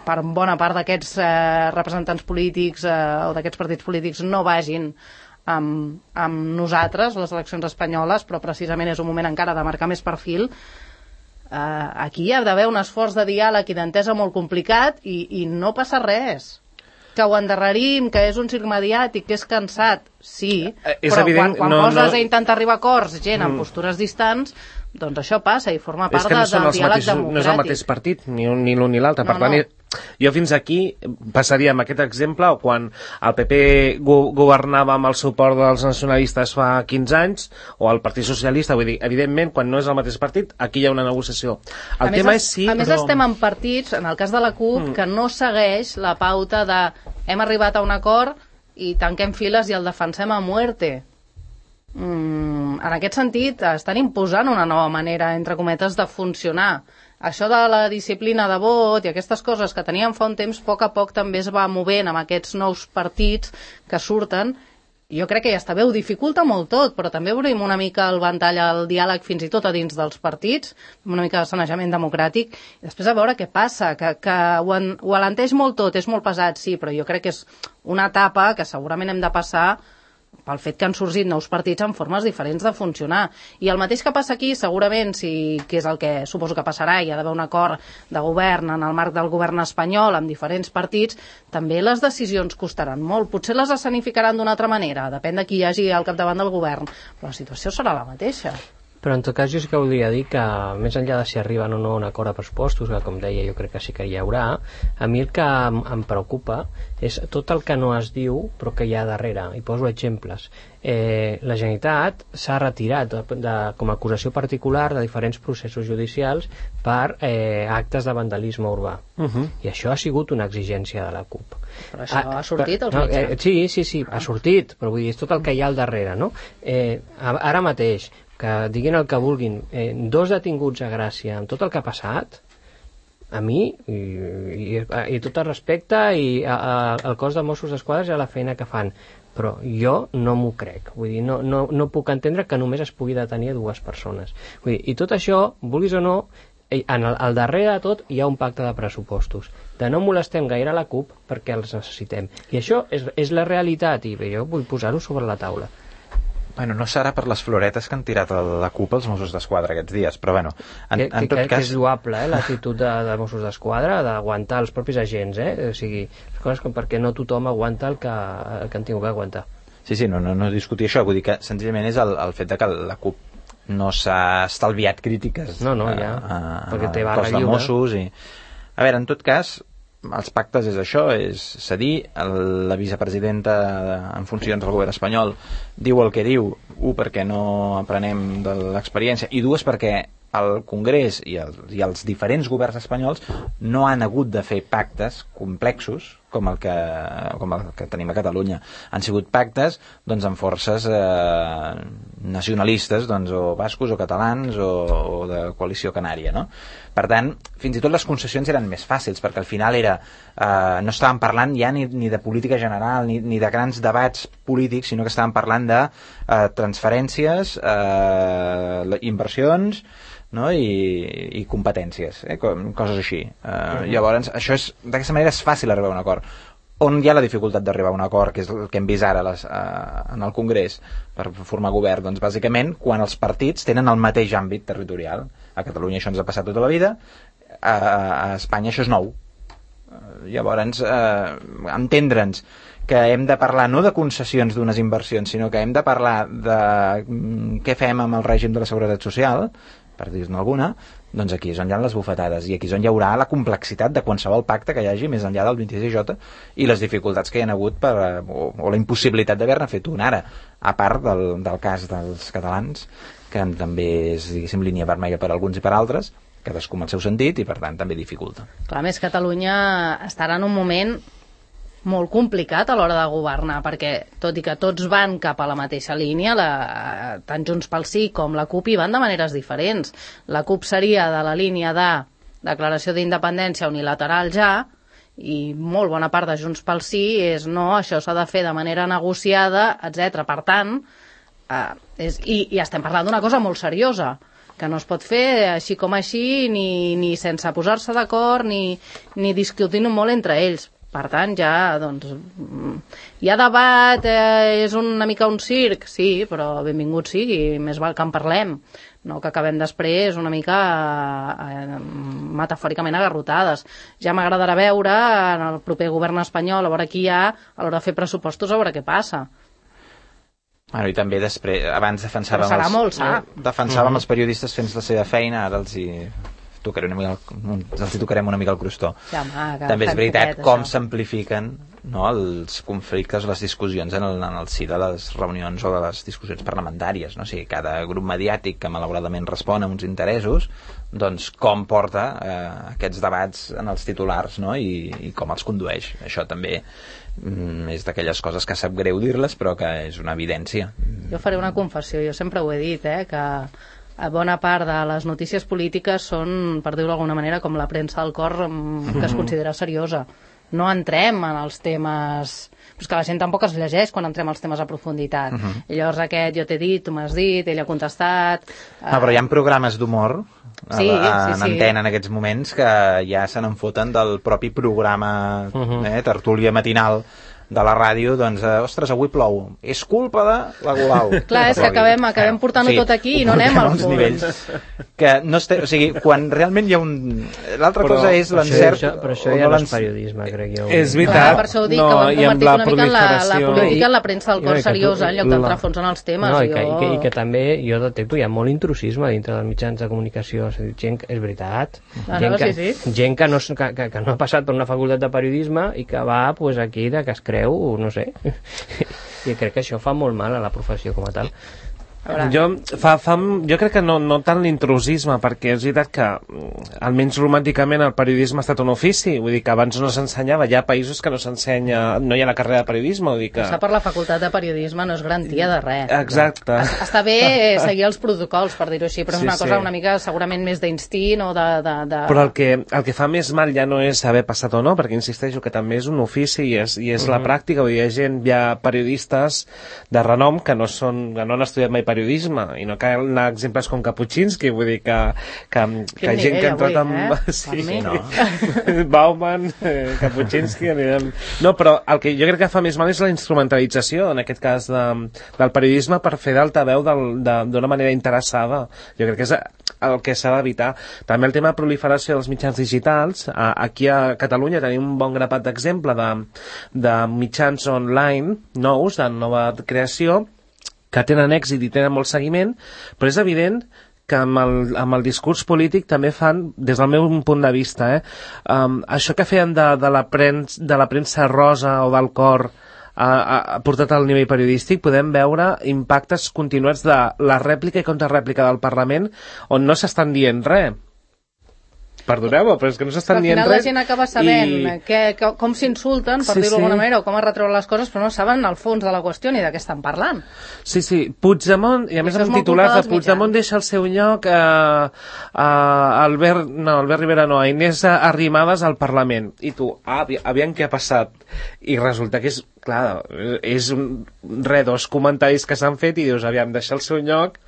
per bona part d'aquests eh, representants polítics eh, o d'aquests partits polítics no vagin amb, amb nosaltres, les eleccions espanyoles, però precisament és un moment encara de marcar més perfil. Uh, aquí hi ha d'haver un esforç de diàleg i d'entesa molt complicat i, i no passa res. Que ho endarrerim, que és un circ mediàtic, que és cansat, sí, eh, és però evident, quan, quan no, poses no... a intentar arribar a acords gent amb mm. postures distants, doncs això passa i forma part és que no de, són del els diàleg mateixos, democràtic. no és el mateix partit, ni un ni l'un ni l'altre. No, Per tant, no. jo fins aquí passaria amb aquest exemple, o quan el P P go governava amb el suport dels nacionalistes fa quinze anys, o el Partit Socialista, vull dir, evidentment, quan no és el mateix partit, aquí hi ha una negociació. El a tema més, és sí, a més però... estem en partits, en el cas de la CUP, mm. que no segueix la pauta de hem arribat a un acord i tanquem files i el defensem a muerte. Mm, en aquest sentit, estan imposant una nova manera, entre cometes, de funcionar. Això de la disciplina de vot i aquestes coses que teníem fa un temps, a poc a poc també es va movent amb aquests nous partits que surten. Jo crec que ja està bé, ho dificulta molt tot, però també obrim una mica el ventall al diàleg fins i tot a dins dels partits, una mica de sanejament democràtic, i després a veure què passa, que, que ho, en, ho alenteix molt tot, és molt pesat, sí, però jo crec que és una etapa que segurament hem de passar pel fet que han sorgit nous partits amb formes diferents de funcionar. I el mateix que passa aquí, segurament, si, que és el que suposo que passarà, hi ha d'haver un acord de govern en el marc del govern espanyol amb diferents partits, també les decisions costaran molt. Potser les escenificaran d'una altra manera, depèn de qui hi hagi al capdavant del govern, però la situació serà la mateixa. Però en tot cas jo sí que voldria dir que més enllà de si arriben o no a un acord a pressupostos, que com deia jo crec que sí que hi haurà, a mi el que em, em preocupa és tot el que no es diu però que hi ha darrere, i poso exemples. Eh, la Generalitat s'ha retirat de, de, com a acusació particular de diferents processos judicials per eh, actes de vandalisme urbà, uh -huh. i això ha sigut una exigència de la CUP. Però això ha, ha sortit als no, mitjans? eh, sí, sí, sí, ha sortit, però vull dir, és tot el que hi ha al darrere, no? Eh, ara mateix que diguin el que vulguin, eh, dos detinguts a Gràcia amb tot el que ha passat, a mi, i, i, i tot el respecte i a, a, al cos de Mossos d'Esquadra i a la feina que fan, però jo no m'ho crec, vull dir, no, no, no puc entendre que només es pugui detenir dues persones. Vull dir, i tot això, vulguis o no, en el, al darrere de tot hi ha un pacte de pressupostos, de no molestem gaire la CUP perquè els necessitem, i això és, és la realitat, i bé, jo vull posar-ho sobre la taula. Bueno, no serà per les floretes que han tirat a la CUP els Mossos d'Esquadra aquests dies, però bueno, en, que, en tot que, cas... que és lloable, eh, l'actitud de, de Mossos d'Esquadra, d'aguantar els propis agents, eh? O sigui, les coses com perquè no tothom aguanta el que, el que han tingut que aguantar. Sí, sí, no, no, no discutir això, vull dir que senzillament és el, el fet de que la CUP no s'ha estalviat crítiques no, no, ja, a, a, perquè té al cos de Mossos i... A veure, en tot cas, els pactes és això, és cedir. El, la vicepresidenta en funcions del govern espanyol diu el que diu, u, perquè no aprenem de l'experiència, i dues, perquè el Congrés i, el, i els diferents governs espanyols no han hagut de fer pactes complexos com el que, com el que tenim a Catalunya. Han sigut pactes doncs, amb forces eh, nacionalistes, doncs, o bascos o catalans o, o de coalició canària, no? Per tant, fins i tot les concessions eren més fàcils, perquè al final era, eh, no estàvem parlant ja ni, ni de política general ni, ni de grans debats polítics, sinó que estàvem parlant de eh, transferències, eh, inversions, no? I, i competències, eh? Coses així. Uh, uh-huh. Llavors, això és, d'aquesta manera és fàcil arribar a un acord. On hi ha la dificultat d'arribar a un acord, que és el que hem vist ara les, uh, en el Congrés per formar govern? Doncs bàsicament quan els partits tenen el mateix àmbit territorial. A Catalunya això ens ha passat tota la vida, a, a Espanya això és nou. Uh, llavors, uh, entendre'ns que hem de parlar no de concessions d'unes inversions, sinó que hem de parlar de mm, què fem amb el règim de la Seguretat Social, per dir-ne alguna, doncs aquí és on hi ha les bufetades, i aquí és on hi haurà la complexitat de qualsevol pacte que hi hagi més enllà del vint-i-sis J i les dificultats que hi ha hagut per, o, o la impossibilitat d'haver-ne fet un ara, a part del, del cas dels catalans, que també és, diguéssim, línia vermella per alguns i per altres, cadascú amb el seu sentit, i per tant també dificulta. Clar, més Catalunya estarà en un moment molt complicat a l'hora de governar, perquè tot i que tots van cap a la mateixa línia, la, tant Junts pel Sí com la CUP hi van de maneres diferents. La CUP seria de la línia de declaració d'independència unilateral ja, i molt bona part de Junts pel Sí és no, això s'ha de fer de manera negociada, etcètera. Per tant, eh, és, i, i estem parlant d'una cosa molt seriosa, que no es pot fer així com així, ni, ni sense posar-se d'acord, ni, ni discutint molt entre ells. Per tant, ja, doncs, hi ha debat, eh, és una mica un circ, sí, però benvingut sigui, més val que en parlem, no que acabem després una mica eh, metafòricament agarrotades. Ja m'agradarà veure en el proper govern espanyol, a veure qui hi ha, a l'hora de fer pressupostos, a veure què passa. Bueno, i també després, abans defensàvem, serà els, molt sa. defensàvem mm-hmm. els periodistes fent la seva feina, ara els hi... tocaré una mica el, els hi tocarem una mica el crostó. Ja, home, també és veritat poquet, com això. S'amplifiquen, no, els conflictes, les discussions en el, en el si de les reunions o de les discussions parlamentàries, no? O sigui, cada grup mediàtic que malauradament respon a uns interessos, doncs com porta eh, aquests debats en els titulars, no? I, i com els condueix. Això també mm, és d'aquelles coses que sap greu dir-les, però que és una evidència. Jo faré una confessió, jo sempre ho he dit, eh, que a bona part de les notícies polítiques són, per dir-ho d'alguna manera, com la premsa del cor, que es considera seriosa. No entrem en els temes... Però que la gent tampoc es llegeix quan entrem als temes a profunditat. Uh -huh. I llavors aquest, jo t'he dit, tu m'has dit, ell ha contestat... No, però hi ha programes d'humor sí, a, a, sí, en sí. antena en aquests moments que ja se n'enfoten del propi programa, uh -huh. eh, tertúlia matinal de la ràdio, doncs, eh, ostres, avui plou. És culpa de la Colau. Clar, és que acabem, acabem portant-ho sí, tot aquí i no anem al fons. Nivells que no este... O sigui, quan realment hi ha un... L'altra cosa és l'encert... Això, però això ja no és periodisme, crec jo. És veritat. Clar, per això ho dic, no, que vam convertit una mica en la, la política I, en la premsa del cor seriosa, en lloc d'entrar a fons en els temes. No, i, que, jo... i, que, I que també jo detecto, hi ha molt intrusisme dintre dels mitjans de comunicació. És, a dir, gent, és veritat. Ah, gent, no, que, sí, sí. gent que, no, que, que, que no ha passat per una facultat de periodisme i que va pues, aquí de que es creu, no sé. I crec que això fa molt mal a la professió com a tal. Jo, fa, fa, jo crec que no, no tant l'intrusisme, perquè és veritat que almenys romànticament el periodisme ha estat un ofici, vull dir que abans no s'ensenyava, hi ha països que no s'ensenya, no hi ha la carrera de periodisme, vull dir que... Passar per la facultat de periodisme no és garantia de res. Exacte. Està bé seguir els protocols, per dir-ho així, però sí, és una cosa sí. una mica segurament més d'instint o de, de, de... Però el que, el que fa més mal ja no és haver passat o no, perquè insisteixo que també és un ofici i és, i és uh-huh. la pràctica, vull dir, hi ha gent, hi ha periodistes de renom que no, són, que no han estudiat mai periodisme i no cal anar exemples com Kapuscinski, vull dir que, que, que hi ha gent que ha entrat amb... Eh? Sí, sí. no. Bauman, eh, Kapuscinski, anirem... No, però el que jo crec que fa més mal és la instrumentalització, en aquest cas de, del periodisme, per fer d'altaveu d'una manera interessada. Jo crec que és el que s'ha d'evitar. També el tema de proliferació dels mitjans digitals. Aquí a Catalunya tenim un bon grapat d'exemple de, de mitjans online nous, de nova creació, que tenen èxit i tenen molt seguiment, però és evident que amb el, amb el discurs polític també fan, des del meu punt de vista, eh, um, això que feien de, de, la premsa, de la premsa rosa o del cor ha portat al nivell periodístic, podem veure impactes continuats de la rèplica i contrarèplica del Parlament on no s'estan dient res. Perdoneu-me, però és que no s'estan dient res. Al final la gent acaba sabent i... que, que, com s'insulten, per sí, dir-ho d'alguna sí. manera, o com es retreuen les coses, però no saben el fons de la qüestió ni de què estan parlant. Sí, sí, Puigdemont, i a I més això és amb molt titulars culpa de dels Puigdemont mitjans. deixa el seu lloc a, a Albert, no, Albert Rivera no, a Inés Arrimadas al Parlament. I tu, ah, aviam què ha passat. I resulta que és, clar, és un, re, dos comentaris que s'han fet i dius, aviam, deixar el seu lloc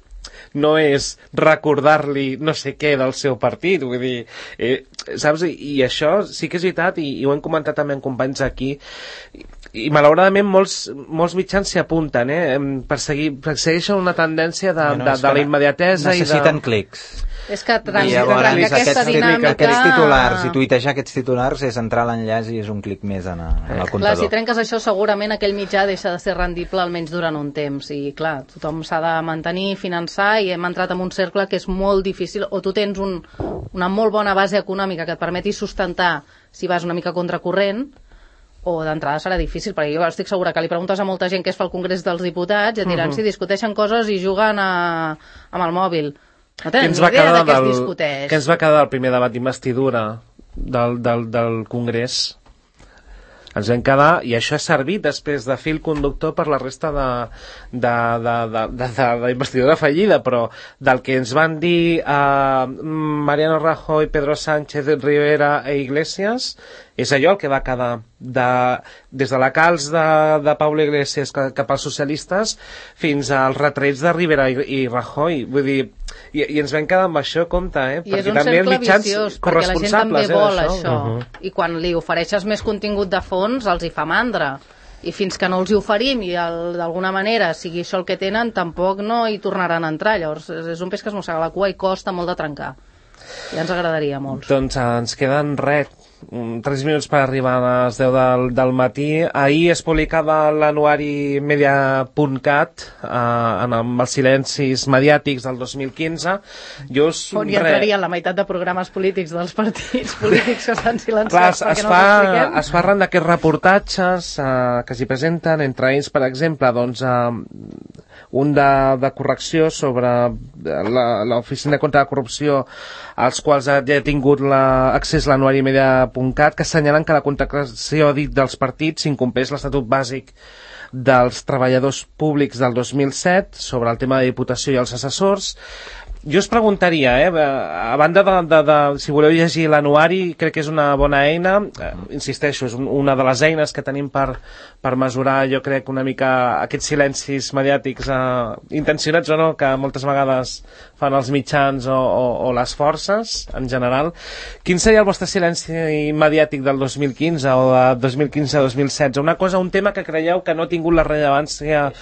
no és recordar-li no sé què del seu partit, vull dir, eh, saps? I, i això sí que és veritat, i, i ho hem comentat també amb companys aquí, i, i malauradament molts, molts mitjans s'hi apunten, eh, per seguir, persegueixen una tendència de, bueno, de, de la immediatesa i de... Necessiten clics. És que trenca, I llavors, trenca aquesta aquests, dinàmica... aquests titulars, i tuitejar aquests titulars és entrar a l'enllaç i és un clic més en, a, en el comptador. Clar, si trenques això, segurament aquell mitjà deixa de ser rendible almenys durant un temps. I clar, tothom s'ha de mantenir, finançar avançar i hem entrat en un cercle que és molt difícil, o tu tens un, una molt bona base econòmica que et permeti sustentar si vas una mica contracorrent, o d'entrada serà difícil, perquè jo estic segura que li preguntes a molta gent què es fa al Congrés dels Diputats i et diran, uh -huh. sí, discuteixen coses i juguen a, amb el mòbil. No tenen ni idea de què es discuteix. Què ens va quedar el primer debat d'investidura del, del, del Congrés? Ens vam quedar, i això ha servit després de fil conductor per la resta de, de, de, de, de, de, de investidura fallida, però del que ens van dir a uh, Mariano Rajoy, Pedro Sánchez, Rivera e Iglesias, és allò el que va quedar de, des de la calç de, de Pablo Iglesias cap als socialistes fins als retrets de Rivera i, i Rajoy. Vull dir, i, i ens vam quedar amb això, compte, eh? I perquè és un cercle viciós, perquè la gent també eh, vol això, això. Uh -huh. I quan li ofereixes més contingut de fons, els hi fa mandra. I fins que no els hi oferim i d'alguna manera sigui això el que tenen, tampoc no hi tornaran a entrar. Llavors és un peix que es mossega la cua i costa molt de trencar. Ja ens agradaria molt. Doncs ens queden res, tres minuts per arribar a les deu del, del matí. Ahir es publicava l'anuari media punt cat eh, amb els silencis mediàtics del dos mil quinze. Jo us... On hi entrarien la meitat de programes polítics dels partits polítics que estan silenciats. Clar, perquè es, no fa, els expliquem. es fa arran d'aquests reportatges eh, que s'hi presenten, entre ells, per exemple, doncs, eh, un de, de correcció sobre l'Oficina contra la Corrupció, als quals ha tingut la, accés l'anuari media punt cat, que assenyalen que la contractació dit dels partits incompleix l'Estatut Bàsic dels Treballadors Públics del dos mil set sobre el tema de Diputació i els assessors. Jo us preguntaria, eh, a banda de, de, de si voleu llegir l'anuari, crec que és una bona eina, eh, insisteixo, és un, una de les eines que tenim per, per mesurar, jo crec, una mica aquests silencis mediàtics eh, intencionats o no, que moltes vegades fan els mitjans o, o, o les forces, en general. Quin seria el vostre silenci mediàtic del dos mil quinze o de dos mil quinze a dos mil setze? Una cosa, un tema que creieu que no ha tingut la rellevància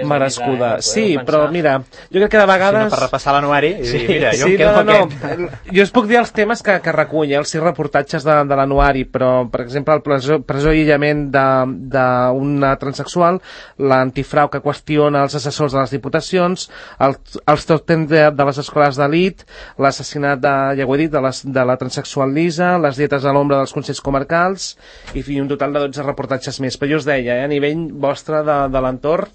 merescuda. Sí, però mira, jo crec que de vegades... Si no, per repassar l'anuari, sí, mira, jo sí, em quedo no, aquest. no. Jo us puc dir els temes que, que recull, eh, els sis reportatges de, de l'anuari, però, per exemple, el presó, presó i aïllament d'una transexual, l'antifrau que qüestiona els assessors de les diputacions, el, els top ten de, de les escoles d'elit, l'assassinat, de, ja ho he dit, de, les, de la transexual Lisa, les dietes a l'ombra dels consells comarcals, i fi, un total de dotze reportatges més. Però jo us deia, eh, a nivell vostre de, de l'entorn,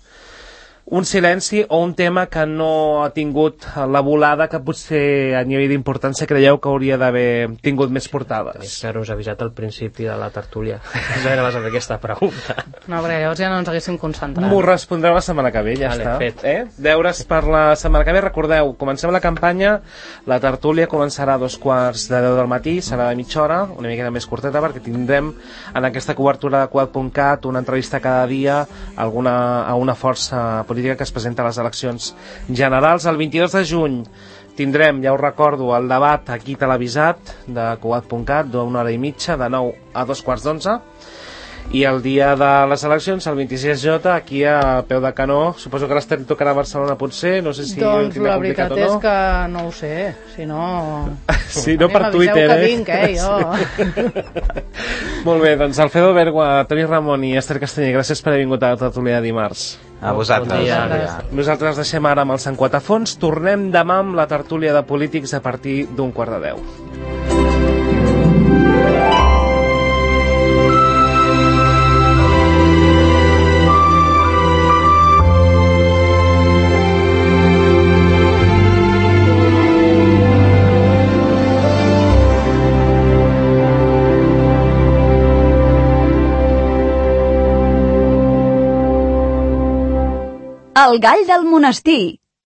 un silenci o un tema que no ha tingut la volada que potser a nivell d'importància creieu que hauria d'haver tingut més portades. Tenis que us ha avisat al principi de la tertúlia. Us que vas a fer aquesta pregunta. No, perquè llavors ja no ens haguéssim concentrat. M'ho respondreu la setmana que ve, ja vale, està. Fet. Eh? Deures per la setmana que ve. Recordeu, comencem la campanya, la tertúlia començarà a dos quarts de deu del matí, serà de mitja hora, una miqueta més curteta, perquè tindrem en aquesta cobertura de quad punt cat una entrevista cada dia alguna, a una força política que es presenta a les eleccions generals. El vint-i-dos de juny tindrem, ja us recordo, el debat aquí televisat de quad punt cat d'una hora i mitja, de nou a dos quarts d'onze, i el dia de les eleccions, el vint-i-sis J, aquí a peu de canó. Suposo que l'Ester tocarà a Barcelona, potser, no sé si doncs ho la veritat o no. És que no ho sé, si no... Si no, per Twitter, que eh? vinc, eh, jo. Molt bé, doncs Alfredo Bergua, Toni Ramon i Esther Castanyer, gràcies per haver vingut a la tertúlia de dimarts. A vosaltres. Bon dia. Bon dia. Nosaltres deixem ara amb el Sant Quatafons. Tornem demà amb la tertúlia de polítics a partir d'un quart de deu. El gall del monestir.